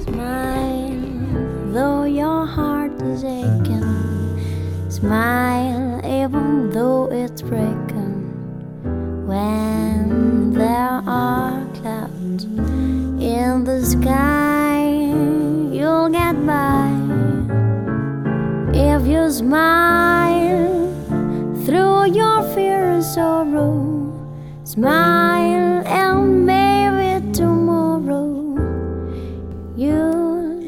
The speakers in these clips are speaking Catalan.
Smile, though your heart is aching. Smile, even though it's breaking. When there are clouds in the sky, you'll get by. If you smile through your fear and sorrow, smile and maybe tomorrow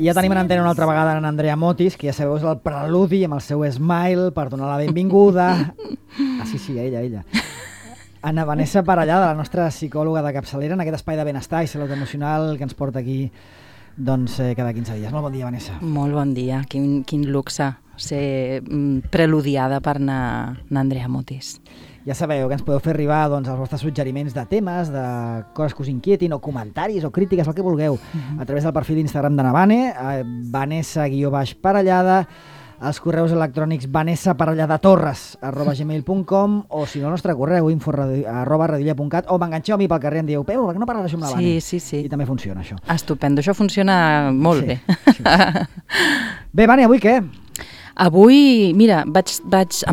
Ja tenim en antena una altra vegada en Andrea Motis, que ja sabeu és el preludi amb el seu smile per donar la benvinguda. Sí, ella. Anna Vanessa Parellada, la nostra psicòloga de capçalera en aquest espai de benestar i salut emocional que ens porta aquí cada 15 dies. Molt bon dia, Vanessa. Molt bon dia. Quin luxe ser preludiada per Andrea Motis. Ja sabeu que ens podeu fer arribar els vostres suggeriments de temes, de coses que us inquietin, o comentaris, o crítiques, el que vulgueu, a través del perfil d'Instagram de Navane, Vanessa_Parellada, els correus electrònics vanessaparelladatorres@gmail.com, o si no, el nostre correu info@radioilla.cat, o m'enganxeu a mi pel carrer i em dieu, Peu, per què no parles això amb la Vane? Sí. I també funciona això. Estupendo, això funciona molt bé. Sí. Bé, Vane, avui què? Avui, mira, em va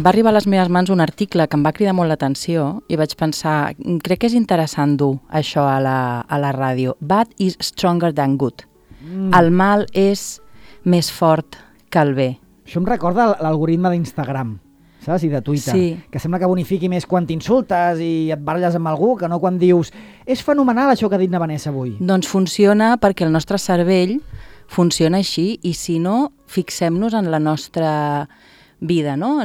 arribar a les meves mans un article que em va cridar molt l'atenció i vaig pensar, crec que és interessant dur això a la ràdio. Bad is stronger than good. El mal és més fort que el bé. Això em recorda l'algoritme d'Instagram, saps? I de Twitter, sí. Que sembla que bonifiqui més quan t'insultes i et baralles amb algú que no quan dius és fenomenal això que ha dit na Vanessa avui. Doncs funciona perquè el nostre cervell funciona així, i si no, fixem-nos en la nostra vida, no?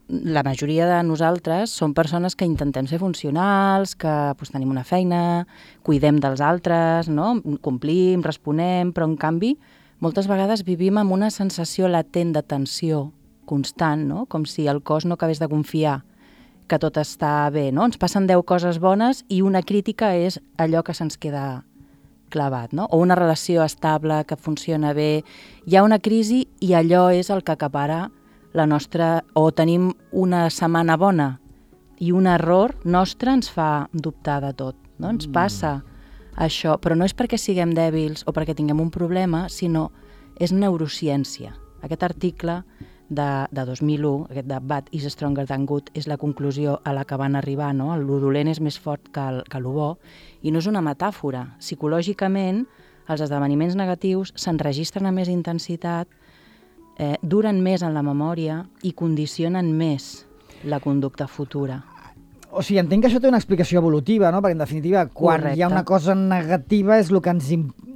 La majoria de nosaltres som persones que intentem ser funcionals, que tenim una feina, cuidem dels altres, no? Complim, responem, però en canvi moltes vegades vivim amb una sensació latent de tensió constant, no? Com si el cos no acabés de confiar que tot està bé, no? Ens passen 10 coses bones i una crítica és allò que se'ns queda clavat, no? O una relació estable que funciona bé, hi ha una crisi i allò és el que acapara la nostra... O tenim una setmana bona i un error nostre ens fa dubtar de tot, no? Ens passa això, però no és perquè siguem dèbils o perquè tinguem un problema, sinó és neurociència. Aquest article de 2001, aquest de Bad is stronger than good, és la conclusió a la que van arribar, no? Lo dolent és més fort que lo bo, i no és una metàfora. Psicològicament, els esdeveniments negatius s'enregistren amb més intensitat, duren més en la memòria i condicionen més la conducta futura. O sigui, entenc que això té una explicació evolutiva, no? Perquè, en definitiva, quan Correcte. hi ha una cosa negativa és el que ens...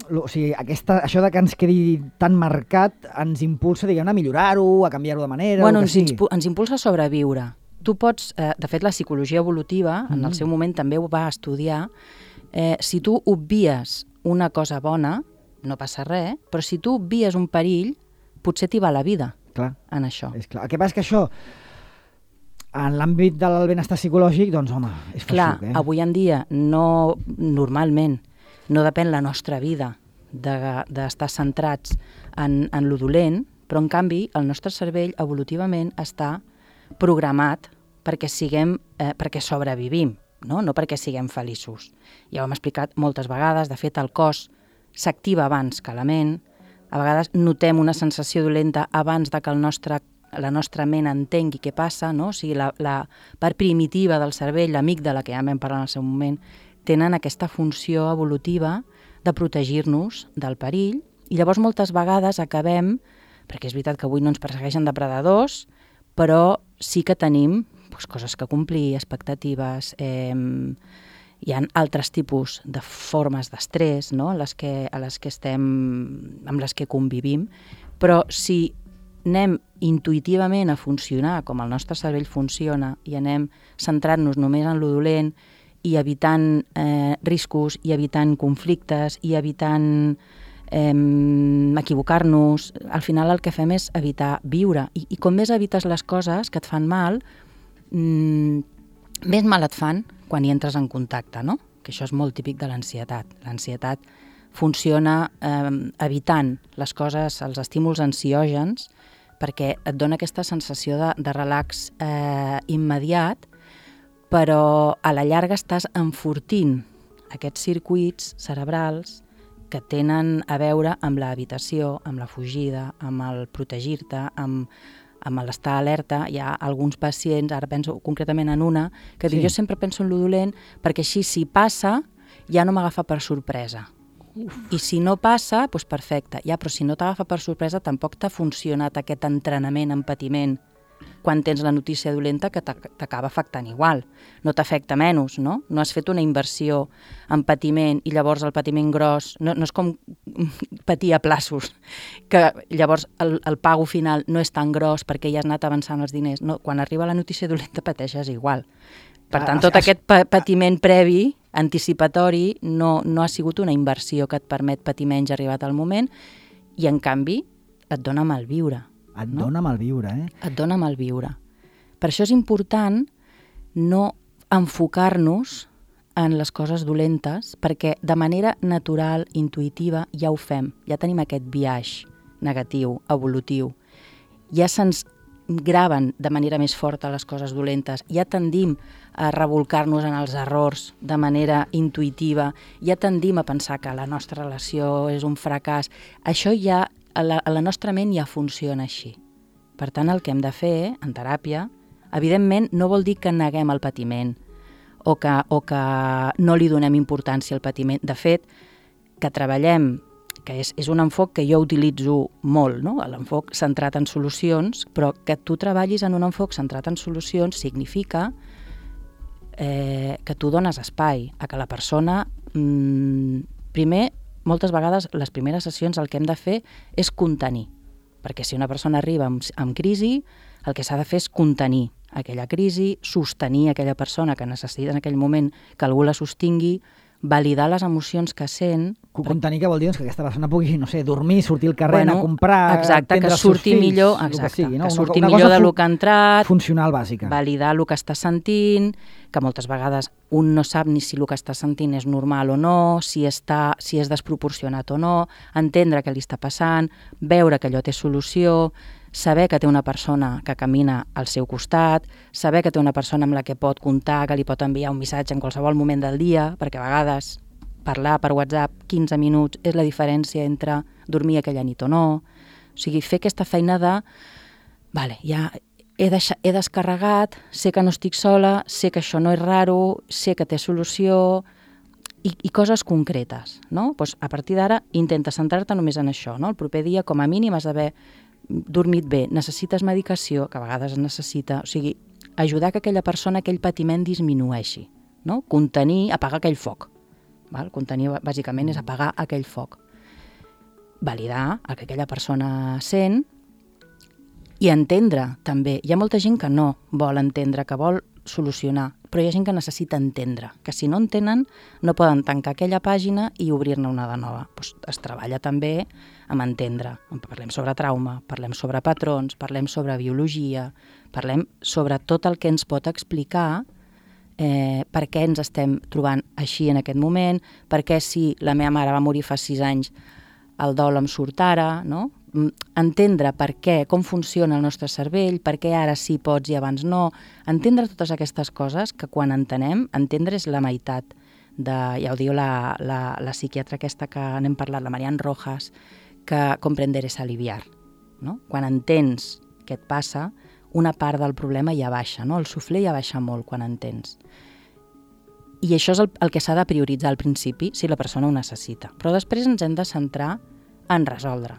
O sigui, això de que ens quedi tan marcat ens impulsa, diguem, a millorar-ho, a canviar-ho de manera... Bueno, ens impulsa a sobreviure. Tu pots... de fet, la psicologia evolutiva, en el seu moment també ho va estudiar, si tu obvies una cosa bona, no passa res, però si tu obvies un perill, potser t'hi va la vida. Clar, en això. És clar. El que passa és que això, en l'àmbit del benestar psicològic, doncs, home, és feixuc, Clar, avui en dia, normalment, no depèn la nostra vida d'estar centrats en lo dolent, però en canvi el nostre cervell evolutivament està programat perquè sobrevivim, no perquè siguem feliços. Ja ho hem explicat moltes vegades, de fet el cos s'activa abans que la ment, a vegades notem una sensació dolenta abans de que la nostra ment entengui què passa, no? O sigui, la part primitiva del cervell, l'amígdala, que ja vam parlar en el seu moment, tenen aquesta funció evolutiva de protegir-nos del perill, i llavors moltes vegades acabem, perquè és veritat que avui no ens persegueixen depredadors, però sí que tenim coses que complir, expectatives, hi ha altres tipus de formes d'estrès, no? amb les que convivim, però si anem intuïtivament a funcionar com el nostre cervell funciona i anem centrant-nos només en lo dolent i evitant riscos i evitant conflictes i evitant equivocar-nos, al final el que fem és evitar viure. I com més evites les coses que et fan mal, més mal et fan quan hi entres en contacte, no? Que això és molt típic de l'ansietat. L'ansietat funciona evitant les coses, els estímuls ansiògens, perquè et dona aquesta sensació de relax immediat, però a la llarga estàs enfortint aquests circuits cerebrals que tenen a veure amb l'evitació, amb la fugida, amb el protegir-te, amb l'estar alerta. Hi ha alguns pacients, ara penso concretament en una, que diu, jo sempre penso en lo dolent perquè així si passa ja no m'agafa per sorpresa. I si no passa, doncs perfecte. Ja, però si no t'agafa per sorpresa tampoc t'ha funcionat aquest entrenament en patiment quan tens la notícia dolenta que t'acaba afectant igual. No t'afecta menys, no? No has fet una inversió en patiment i llavors el patiment gros, no és com patir a plaços, que llavors el pago final no és tan gros perquè ja has anat avançant els diners. No, quan arriba la notícia dolenta pateixes igual. Per tant, tot aquest patiment previ, anticipatori, no ha sigut una inversió que et permet patir menys arribat al moment i, en canvi, et dona malviure. Et dona malviure, Et dona malviure. Per això és important no enfocar-nos en les coses dolentes, perquè de manera natural, intuïtiva, ja ho fem. Ja tenim aquest biaix negatiu, evolutiu. Ja se'ns graven de manera més forta les coses dolentes, ja tendim a revolcar-nos en els errors de manera intuïtiva, ja tendim a pensar que la nostra relació és un fracàs. Això ja, a la nostra ment ja funciona així. Per tant, el que hem de fer en teràpia, evidentment, no vol dir que neguem el patiment o que no li donem importància al patiment. De fet, que treballem, que és un enfoc que jo utilitzo molt, no? L'enfoc centrat en solucions, però que tu treballis en un enfoc centrat en solucions significa que tu dones espai a que la persona... Primer, moltes vegades, les primeres sessions el que hem de fer és contenir, perquè si una persona arriba amb crisi, el que s'ha de fer és contenir aquella crisi, sostenir aquella persona que necessita en aquell moment que algú la sostingui, validar les emocions que sent. Contenir, que vol dir que aquesta persona pugui, no sé, dormir, sortir al carrer, anar a comprar, exacte, que surti millor, exacte, que surti millor del que ha entrat, funcional bàsica. Validar el que està sentint, que moltes vegades un no sap ni si el que està sentint és normal o no, si és desproporcionat o no, entendre què li està passant, veure que allò té solució, saber que té una persona que camina al seu costat, saber que té una persona amb la que pot comptar, que li pot enviar un missatge en qualsevol moment del dia, perquè a vegades parlar per WhatsApp 15 minuts és la diferència entre dormir aquella nit o no. O sigui, fer aquesta feina de vale, ja he descarregat, sé que no estic sola, sé que això no és raro, sé que té solució i coses concretes, no? Doncs a partir d'ara intenta centrar-te només en això, no? El proper dia, com a mínim, has d'haver dormit bé, necessites medicació, que a vegades es necessita, o sigui, ajudar que aquella persona, aquell patiment disminueixi, no? Contenir, apagar aquell foc. Val? Contenir, bàsicament, és apagar aquell foc. Validar el que aquella persona sent i entendre, també. Hi ha molta gent que no vol entendre, que vol solucionar, però hi ha gent que necessita entendre, que si no entenen no poden tancar aquella pàgina i obrir-ne una de nova. Doncs es treballa també amb entendre. Parlem sobre trauma, parlem sobre patrons, parlem sobre biologia, parlem sobre tot el que ens pot explicar per què ens estem trobant així en aquest moment, per què si la meva mare va morir fa 6 anys el dol em surt ara, no? Entendre per què, com funciona el nostre cervell, per què ara sí pots i abans no, entendre totes aquestes coses que quan entenem, entendre és la meitat de, ja ho diu la psiquiatra aquesta que n'hem parlat, la Marian Rojas, que comprender és aliviar, no? Quan entens què et passa, una part del problema ja baixa, no? El suflé ja baixa molt quan entens. I això és el que s'ha de prioritzar al principi, si la persona ho necessita. Però després ens hem de centrar en resoldre.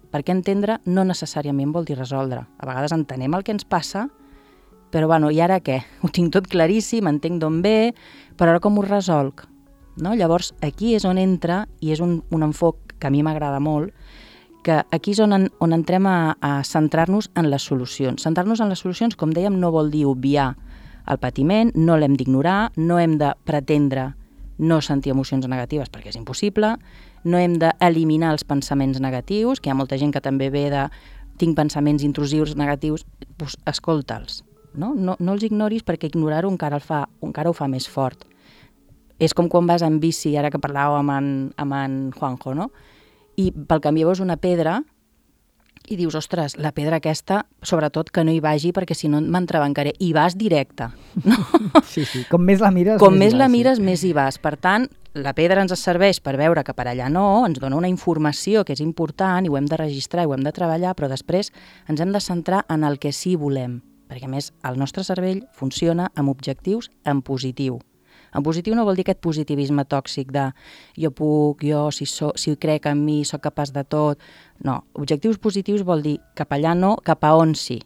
Perquè entendre no necessàriament vol dir resoldre. A vegades entenem el que ens passa, però bueno, i ara què? Ho tinc tot claríssim, entenc d'on ve, però ara com ho resolc? No? Llavors, aquí és on entra, i és un enfoc que a mi m'agrada molt, que aquí és on entrem a centrar-nos en les solucions. Centrar-nos en les solucions, com dèiem, no vol dir obviar el patiment, no l'hem d'ignorar, no hem de pretendre no sentir emocions negatives perquè és impossible, no hem d'eliminar els pensaments negatius, que hi ha molta gent que també ve de tinc pensaments intrusius negatius, doncs escolta'ls, no els ignoris perquè ignorar-ho encara ho fa més fort. És com quan vas en bici, ara que parlàveu amb en Juanjo, no? I pel camí veus una pedra i dius, ostres, la pedra aquesta, sobretot que no hi vagi perquè si no m'entrebancaré. I vas directe. No? Sí, com més la mires, com més la mires, més hi vas. Per tant, la pedra ens serveix per veure que per allà no, ens dona una informació que és important i ho hem de registrar i ho hem de treballar, però després ens hem de centrar en el que sí volem, perquè a més el nostre cervell funciona amb objectius en positiu. En positiu no vol dir aquest positivisme tòxic de jo puc, jo si crec en mi, sóc capaç de tot. No, objectius positius vol dir cap allà no, cap a on sí.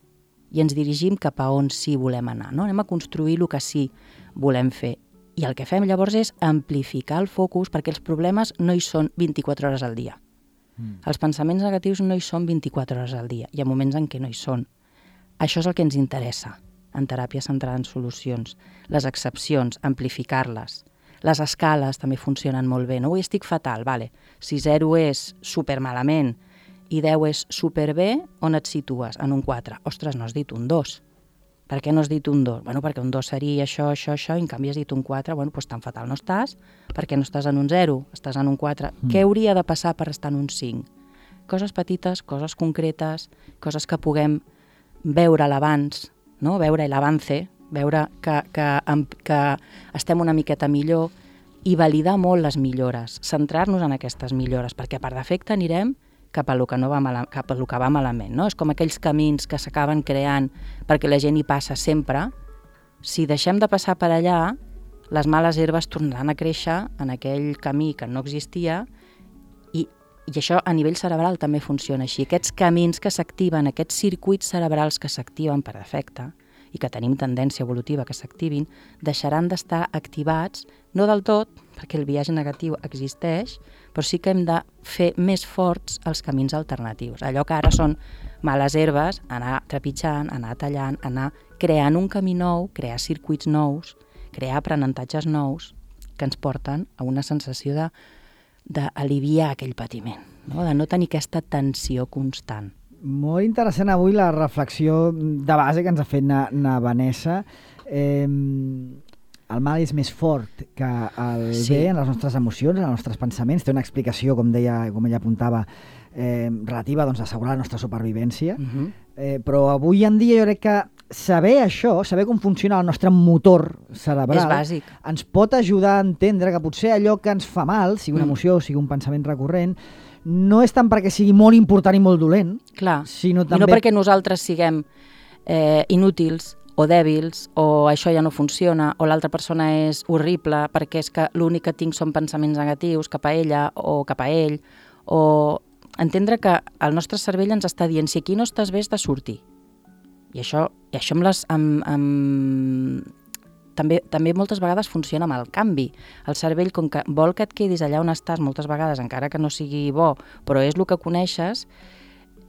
I ens dirigim cap a on sí volem anar. No? Anem a construir el que sí volem fer. I el que fem llavors és amplificar el focus perquè els problemes no hi són 24 hores al dia. Els pensaments negatius no hi són 24 hores al dia. Hi ha moments en què no hi són. Això és el que ens interessa en teràpia centrada en solucions. Les excepcions, amplificar-les. Les escales també funcionen molt bé. No? Avui estic fatal, vale. Si 0 és supermalament i 10 és superbé, on et situes? En un 4. Ostres, no has dit un 2. Per què no has dit un 2? Bueno, perquè un 2 seria això, i en canvi has dit un 4. Bueno, doncs tan fatal no estàs, perquè no estàs en un 0, estàs en un 4. Què hauria de passar per estar en un 5? Coses petites, coses concretes, coses que puguem veure a l'abans, no? Veure l'avance, veure que estem una miqueta millor i validar molt les millores, centrar-nos en aquestes millores, perquè per defecte anirem cap a lo que va malament. No? És com aquells camins que s'acaben creant perquè la gent hi passa sempre. Si deixem de passar per allà, les males herbes tornaran a créixer en aquell camí que no existia i això a nivell cerebral també funciona així. Aquests camins que s'activen, aquests circuits cerebrals que s'activen per defecte i que tenim tendència evolutiva que s'activin, deixaran d'estar activats, no del tot, perquè el biaix negatiu existeix, però sí que hem de fer més forts els camins alternatius. Allò que ara són males herbes, anar trepitjant, anar tallant, anar creant un camí nou, crear circuits nous, crear aprenentatges nous que ens porten a una sensació d'aliviar aquell patiment, no? De no tenir aquesta tensió constant. Molt interessant avui la reflexió de base que ens ha fet na Vanessa. El mal és més fort que el bé en les nostres emocions, en els nostres pensaments. Té una explicació, com ella apuntava, relativa a assegurar la nostra supervivència. Però avui en dia jo crec que saber això, saber com funciona el nostre motor cerebral, és bàsic. Ens pot ajudar a entendre que potser allò que ens fa mal, sigui una emoció, sigui un pensament recurrent, no és tant perquè sigui molt important i molt dolent, clar, sinó també... I no perquè nosaltres siguem inútils o dèbils, o això ja no funciona, o l'altra persona és horrible perquè és que l'únic que tinc són pensaments negatius cap a ella o cap a ell, o entendre que el nostre cervell ens està dient si aquí no estàs bé has de sortir. I això també moltes vegades funciona amb el canvi. El cervell, com que vol que et quedis allà on estàs moltes vegades, encara que no sigui bo, però és el que coneixes,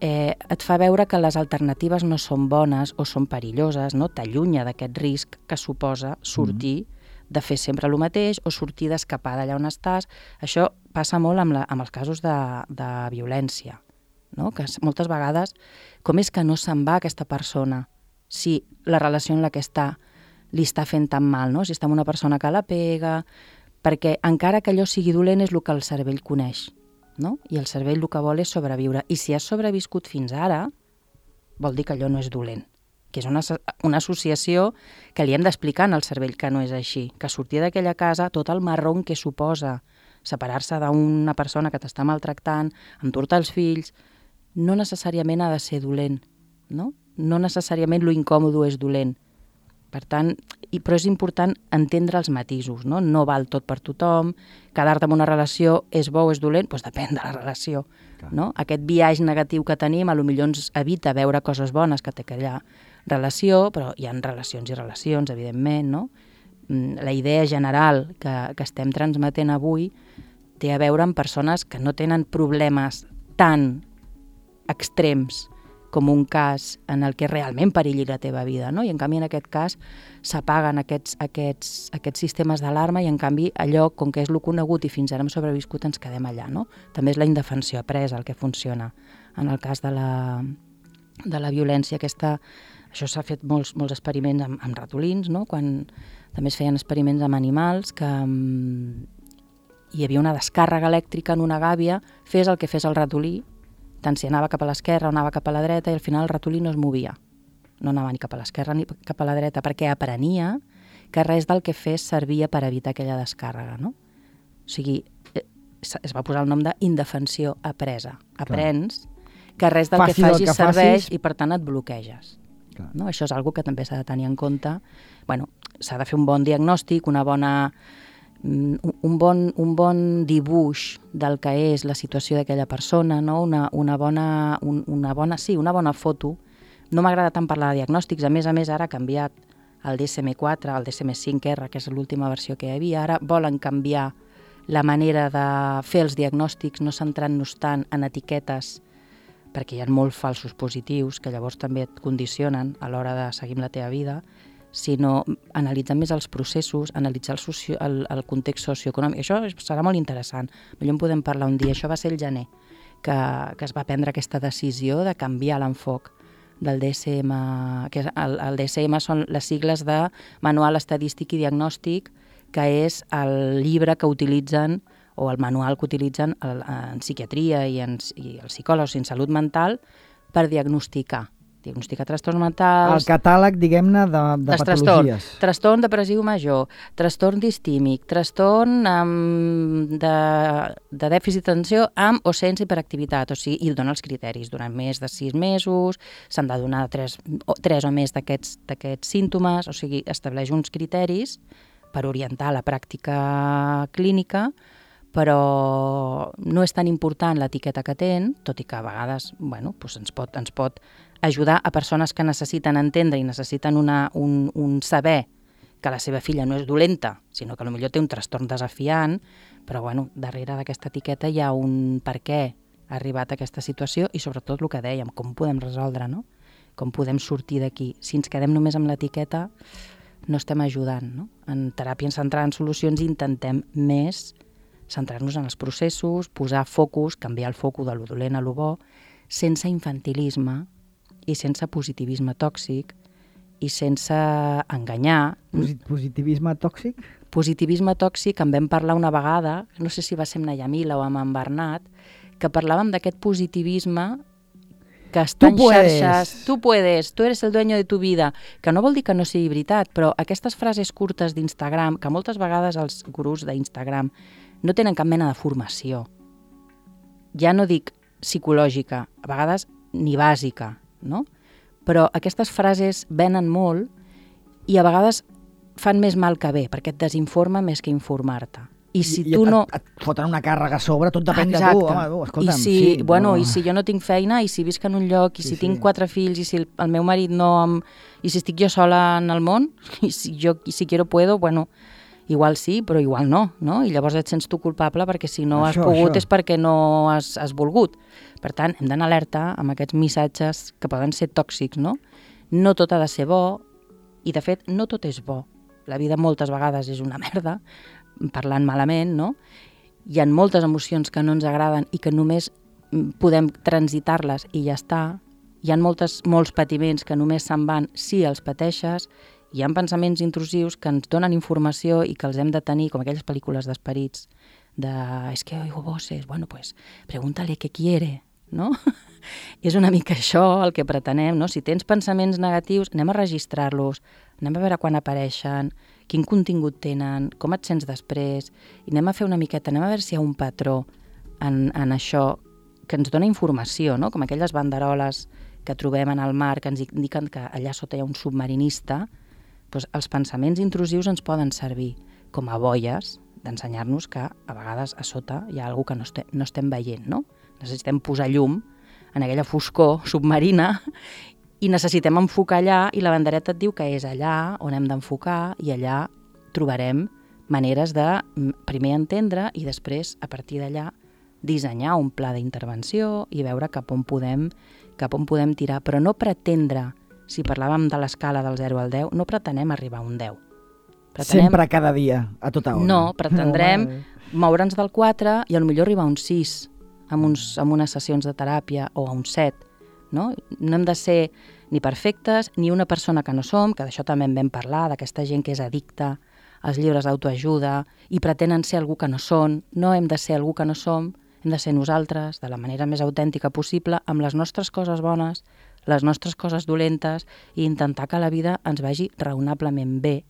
et fa veure que les alternatives no són bones o són perilloses, no? T'allunya d'aquest risc que suposa sortir de fer sempre el mateix o sortir d'escapar d'allà on estàs. Això passa molt amb els casos de violència, no? Que moltes vegades, com és que no se'n va aquesta persona si la relació en la que està li està fent tan mal, no? Si està amb una persona que la pega, perquè encara que allò sigui dolent és el que el cervell coneix, no? I el cervell el que vol és sobreviure. I si has sobreviscut fins ara, vol dir que allò no és dolent, que és una associació que li hem d'explicar al cervell que no és així, que sortir d'aquella casa, tot el marron que suposa separar-se d'una persona que t'està maltractant, endur-te els fills, no necessàriament ha de ser dolent, no? No necessàriament lo incòmodo és dolent. Per tant, però és important entendre els matisos, no? No val tot per tothom, quedar-te en una relació és bo o és dolent, doncs depèn de la relació, no? Aquest biaix negatiu que tenim potser ens evita veure coses bones que té aquella relació, però hi ha relacions i relacions, evidentment, no? La idea general que estem transmetent avui té a veure amb persones que no tenen problemes tan extrems com un cas en el que realment perilli la teva vida, no? I en canvi en aquest cas s'apaguen aquests sistemes d'alarma i en canvi allò, com que és lo conegut i fins ara hem sobreviscut, ens quedem allà, no? També és la indefensió apresa el que funciona. En el cas de la violència això s'ha fet molts experiments amb ratolins, no? Quan també es feien experiments amb animals que hi havia una descàrrega elèctrica en una gàbia, fes el que fes el ratolí, tant si anava cap a l'esquerra o anava cap a la dreta, i al final el ratolí no es movia. No anava ni cap a l'esquerra ni cap a la dreta, perquè aprenia que res del que fes servia per evitar aquella descàrrega, no? O sigui, es va posar el nom d'indefensió apresa. Aprens que res del que facis serveix i per tant et bloqueges. No? Això és una cosa que també s'ha de tenir en compte. Bueno, s'ha de fer un bon diagnòstic, un bon dibuix del que és la situació d'aquella persona, no? una bona foto. No m'agrada tant parlar de diagnòstics, a més ara ha canviat el DSM-4, el DSM-5R, que és l'última versió que hi havia. Ara volen canviar la manera de fer els diagnòstics, no centrant-nos tant en etiquetes, perquè hi ha molts falsos positius que llavors també et condicionen a l'hora de seguir amb la teva vida, sinó analitzar més els processos, analitzar el context socioeconòmic. Això serà molt interessant. Millor en podem parlar un dia. Això va ser el gener, que es va prendre aquesta decisió de canviar l'enfoc del DSM, que el DSM són les sigles de Manual Estadístic i Diagnòstic, que és el llibre que utilitzen o el manual que utilitzen en psiquiatria i els psicòlegs en salut mental per diagnosticar trastorns mentals... El catàleg, diguem-ne, de patologies. Trastorn depressiu major, trastorn distímic, trastorn de dèficit d'atenció amb o sense hiperactivitat, o sigui, i dona els criteris. Durant més de 6 mesos s'han de donar 3 o més d'aquests símptomes, o sigui, estableix uns criteris per orientar la pràctica clínica, però no és tan important l'etiqueta que tenen, tot i que a vegades ens pot ajudar a persones que necessiten entendre i necessiten un saber que la seva filla no és dolenta, sinó que potser té un trastorn desafiant, però darrere d'aquesta etiqueta hi ha un per què ha arribat a aquesta situació i sobretot el que dèiem, com podem resoldre, no? Com podem sortir d'aquí. Si ens quedem només amb l'etiqueta, no estem ajudant, no? En teràpia centrada en solucions intentem més centrar-nos en els processos, posar focus, canviar el focus de lo dolent a lo bo, sense infantilisme i sense positivisme tòxic i sense enganyar. Positivisme tòxic? Positivisme tòxic, en vam parlar una vegada, no sé si va ser amb na Yamila o amb en Bernat, que parlàvem d'aquest positivisme que està en xarxes. Tu puedes, tu eres el dueño de tu vida, que no vol dir que no sigui veritat, però aquestes frases curtes d'Instagram, que moltes vegades els gurús d'Instagram no tenen cap mena de formació. Ja no dic psicològica, a vegades ni bàsica, no? Però aquestes frases venen molt i a vegades fan més mal que bé, perquè et desinforma més que informar-te. I si tu no... Et foten una càrrega a sobre, tot depèn de tu. Home, escolta'm, I si jo no tinc feina, i si visc en un lloc, i si tinc 4 fills, i si el meu marit no... I si estic jo sola en el món, i si quiero puedo, igual sí, però igual no, no? I llavors et sents tu culpable perquè si no has pogut és perquè no has volgut. Per tant, hem d'anar alerta amb aquests missatges que poden ser tòxics, no? No tot ha de ser bo i, de fet, no tot és bo. La vida moltes vegades és una merda, parlant malament, no? Hi ha moltes emocions que no ens agraden i que només podem transitar-les i ja està. Hi ha molts patiments que només se'n van si els pateixes. Hi ha pensaments intrusius que ens donen informació i que els hem de tenir, com aquelles pel·lícules d'esperits, es que oigo voces, pues pregúntale qué quiere, no? És una mica això el que pretenem, no? Si tens pensaments negatius, anem a registrar-los, anem a veure quan apareixen, quin contingut tenen, com et sents després, i anem a fer una miqueta, anem a veure si hi ha un patró en això que ens dona informació, no? Com aquelles banderoles que trobem en el mar que ens indiquen que allà sota hi ha un submarinista. Doncs els pensaments intrusius ens poden servir com a boies d'ensenyar-nos que a vegades a sota hi ha alguna cosa que no estem veient, no? Necessitem posar llum en aquella foscor submarina i necessitem enfocar allà i la bandereta et diu que és allà on hem d'enfocar i allà trobarem maneres de primer entendre i després, a partir d'allà, dissenyar un pla d'intervenció i veure cap on podem tirar, però no pretendre. Si parlàvem de l'escala del 0 al 10, no pretenem arribar a un 10. Sempre, cada dia, a tota hora. No, pretendrem moure'ns del 4 i potser arribar a un 6 amb unes sessions de teràpia o a un 7. No hem de ser ni perfectes ni una persona que no som, que d'això també en vam parlar, d'aquesta gent que és addicta als llibres d'autoajuda i pretenen ser algú que no són. No hem de ser algú que no som, Hem de ser nosaltres, de la manera més autèntica possible, amb les nostres coses bones, les nostres coses dolentes, i intentar que la vida ens vagi raonablement bé,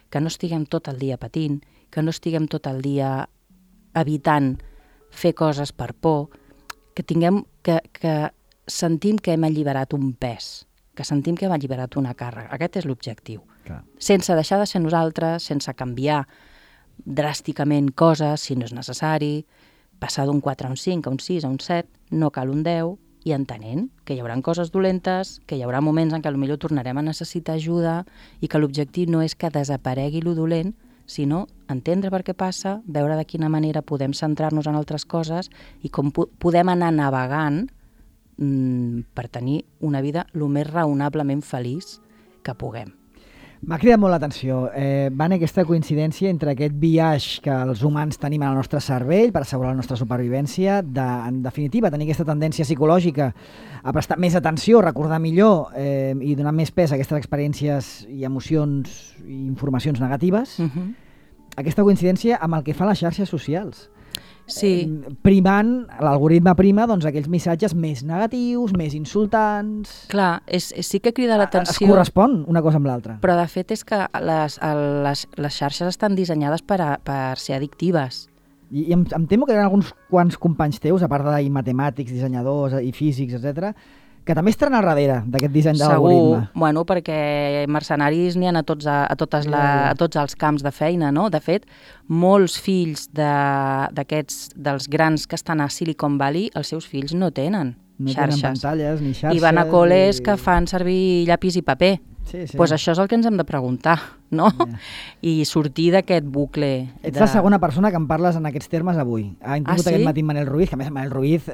que no estiguem tot el dia patint, que no estiguem tot el dia evitant fer coses per por, que sentim que hem alliberat un pes, que sentim que hem alliberat una càrrega. Aquest és l'objectiu. Clar. Sense deixar de ser nosaltres, sense canviar dràsticament coses, si no és necessari, passar d'un 4 a un 5, a un 6, a un 7, no cal un 10, i entenent que hi haurà coses dolentes, que hi haurà moments en què potser tornarem a necessitar ajuda i que l'objectiu no és que desaparegui lo dolent, sinó entendre per què passa, veure de quina manera podem centrar-nos en altres coses i com podem anar navegant per tenir una vida el més raonablement feliç que puguem. M'ha cridat molt l'atenció, Vane, aquesta coincidència entre aquest biaix que els humans tenim en el nostre cervell per assegurar la nostra supervivència, en definitiva, tenir aquesta tendència psicològica a prestar més atenció, recordar millor i donar més pes a aquestes experiències i emocions i informacions negatives, aquesta coincidència amb el que fan les xarxes socials. Sí. Primant, l'algoritme prima doncs, aquells missatges més negatius, més insultants... Clar, sí que crida l'atenció... Es correspon una cosa amb l'altra. Però de fet és que les xarxes estan dissenyades per ser addictives. I em temo que hi ha alguns quants companys teus, a part de matemàtics, dissenyadors i físics, etc, que també estaran al darrere d'aquest disseny de l'algoritme. Segur, bueno, perquè mercenaris n'hi ha a tots els camps de feina, no? De fet, molts fills dels grans que estan a Silicon Valley, els seus fills no tenen xarxes. No tenen pantalles ni xarxes. I van a col·les que fan servir llapis i paper. Sí. Pues això és el que ens hem de preguntar, no? I sortir d'aquest bucle. Ets la segona persona que em parles en aquests termes avui. Ha tingut aquest matí Manel Ruiz, que a més Manel Ruiz...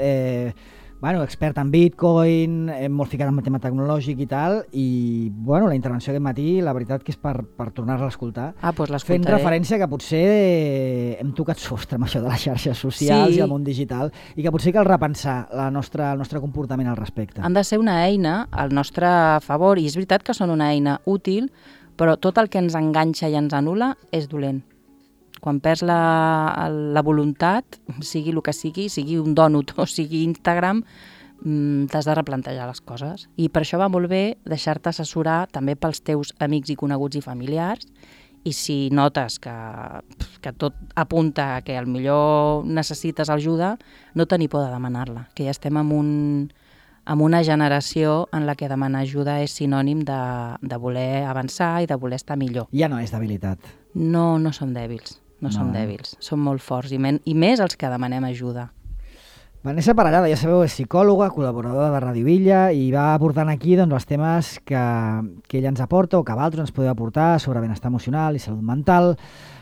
expert en Bitcoin, molt ficat en el tema tecnològic i tal, i la intervenció aquest matí, la veritat que és per tornar-la a escoltar, pues l'escoltaré. Fent referència que potser hem tocat sostre amb això de les xarxes socials i el món digital, i que potser cal repensar el nostre comportament al respecte. Han de ser una eina al nostre favor, i és veritat que són una eina útil, però tot el que ens enganxa i ens anul·la és dolent. Quan perds la voluntat, sigui el que sigui un dònut o sigui Instagram, t'has de replantejar les coses. I per això va molt bé deixar-te assessorar també pels teus amics i coneguts i familiars, i si notes que tot apunta que potser necessites ajuda, no tenir por de demanar-la, que ja estem en una generació en la que demanar ajuda és sinònim de voler avançar i de voler estar millor. Ja no és debilitat. No som dèbils. No som dèbils, som molt forts, i més els que demanem ajuda. Vanessa Parellada, ja sabeu, és psicòloga, col·laboradora de Ràdio Villa, i va aportant aquí els temes que ella ens aporta o que vosaltres ens podeu aportar sobre benestar emocional i salut mental.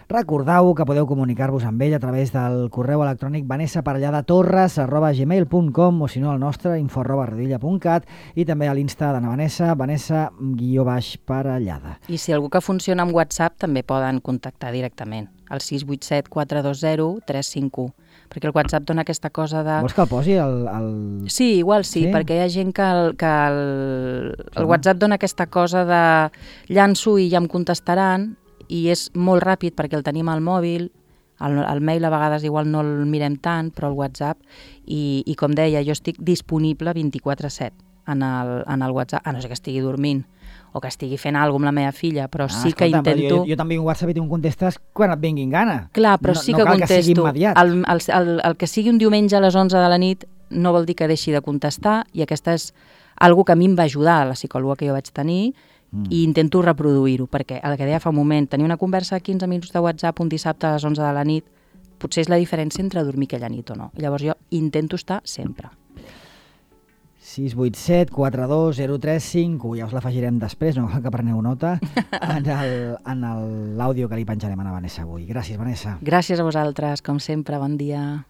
Recordeu que podeu comunicar-vos amb ella a través del correu electrònic vanessaparelladatorres@gmail.com o si no al nostre info@radiovilla.cat i també a l'Insta d'Anna Vanessa, Vanessa_Parellada. I si algú que funciona amb WhatsApp també poden contactar directament al 687 420 351, perquè el WhatsApp dona aquesta cosa de... Vols que el posi? Sí, igual sí, perquè hi ha gent que el WhatsApp dona aquesta cosa de llanço i ja em contestaran, i és molt ràpid perquè el tenim al mòbil, el mail a vegades igual no el mirem tant, però el WhatsApp, i com deia, jo estic disponible 24/7 en el WhatsApp, a no ser que estigui dormint o que estigui fent alguna cosa amb la meva filla, però sí que intento... Jo també en WhatsApp i tu em contestes quan et vinguin gana. Clar, però sí que contesto. El que sigui un diumenge a les 11 de la nit no vol dir que deixi de contestar, i aquesta és algo que a mi em va ajudar, la psicòloga que jo vaig tenir, i intento reproduir-ho, perquè el que deia fa un moment, tenir una conversa de 15 minuts de WhatsApp un dissabte a les 11 de la nit potser és la diferència entre dormir aquella nit o no. I llavors jo intento estar sempre. 687 420351, ja us l'afegirem després, no cal que preneu nota, en l'àudio que li penjarem a la Vanessa avui. Gràcies, Vanessa. Gràcies a vosaltres, com sempre, bon dia.